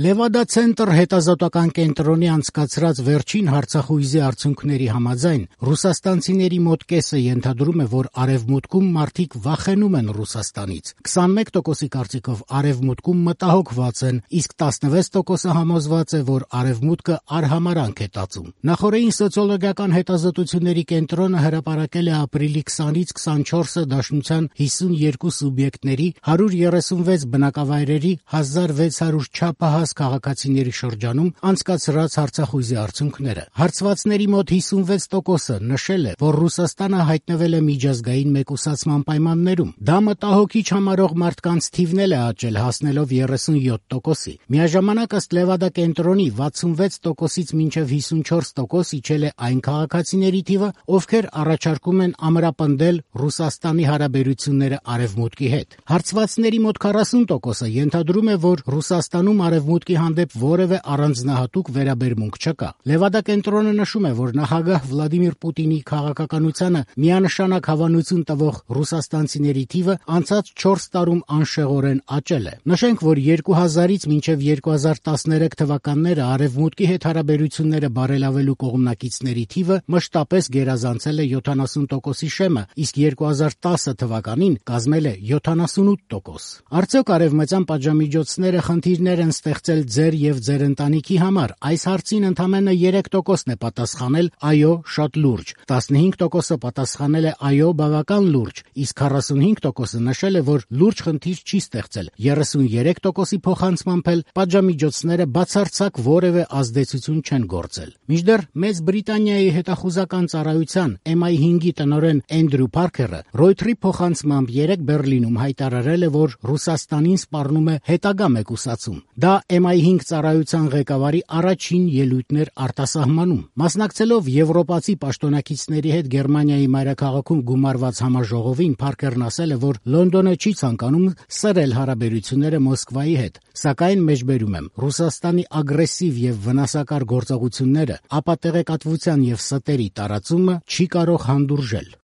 Լևադա ցենտր հետազոտական կենտրոնի անցկացրած վերջին հարցախույզի արդյունքների համաձայն ռուսաստանցիների մոտ կեսը ենթադրում է, որ Արևմուտքում մարդիկ վախենում են Ռուսաստանից, 21%-ի կարծիքով Արևմուտքում մտահոգված են, իսկ 16%-ը համոզված է, որ Արևմուտքը արհամարանք է տածում։ Նախորդին սոցիոլոգիական հետազոտությունների կենտրոնը հրապարակել է ապրիլի 20-ից 24-ը Դաշնության 52 սուբյեկտների 136 բնակավայրերի 1600 չափահաս քաղաքացիների շրջանում անցկացրած հարցախույզի արդյունքները։ Հարցվածների մոտ 56%-ը նշել է, որ Ռուսաստանը հայտնվել է միջազգային մեկուսացման պայմաններում։ Դա մտահոգիչ համարող մարդկանց թիվն էլ է աճել, հասնելով 37%-ի։ Միաժամանակ ըստ Լևադա կենտրոնի 66%-ից մինչև 54% իջել է այն քաղաքացիների թիվը, ովքեր առաջարկում են ամրապնդել Ռուսաստանի հարաբերությունները Արևմուտքի հետ։ Հարցվածների մոտ 40%-ը ենթադրում է, որ Ռուսաստանում Արևմուտքի հանդեպ որևէ առանձնահատուկ վերաբերմունք չկա։ Լևադա կենտրոնը նշում է, որ նախագահ Վլադիմիր Պուտինի քաղաքականությանը միանշանակ հավանություն տվող ռուսաստանցիների թիվը անցած 4 տարում անշեղորեն աճել է։ Նշենք, որ 2000-ից մինչև 2013 թվականները Արևմուտքի հետ հարաբերությունները բարելավելու կողմնակիցների թիվը մշտապես գերազանցել է 70%-ի շեմը, իսկ 2010 թվականին կազմել է 78%։ Արդյոք արևմտյան պատժամիջոցները խնդիրներ են ստեղծել ձեր եւ ձեր ընտանիքի համար։ Այս հարցին ընդամենը 3%-ն է պատասխանել այո, շատ լուրջ, 15%-ը պատասխանել է այո, բավական լուրջ, իսկ 45%-ը նշել է, որ լուրջ խնդիր չի ստեղծել։ 33%-ի փոխանցմամբ էլ պատժամիջոցները բացարձակ որևէ ազդեցություն չեն գործել։ Մինչդեռ Մեծ Բրիտանիայի հետախուզական ծառայության MI5-ի տնօրեն Էնդրյու Փարքերը Ռոյթերի փոխանցմամբ 3 Բեռլինում հայտարարել է, որ Ռուսաստանին սպառնում է հետագա մեկուսացում։ Դա MI5 ծառայության ղեկավարի առաջին ելույթն էր արտասահմանում։ Մասնակցելով եվրոպացի պաշտոնակիցների հետ Գերմանիայի մայրաքաղաքում գումարված համաժողովին, Փարքերն ասել է, որ Լոնդոնը չի ցանկանում սրել հարաբերությունները Մոսկվայի հետ, սակայն մեջբերում եմ, Ռուսաստանի ագրեսիվ եւ վնասակար գործողությունները, ապատեղեկատվության եւ ստերի տարածումը չի կարող հանդուրժել։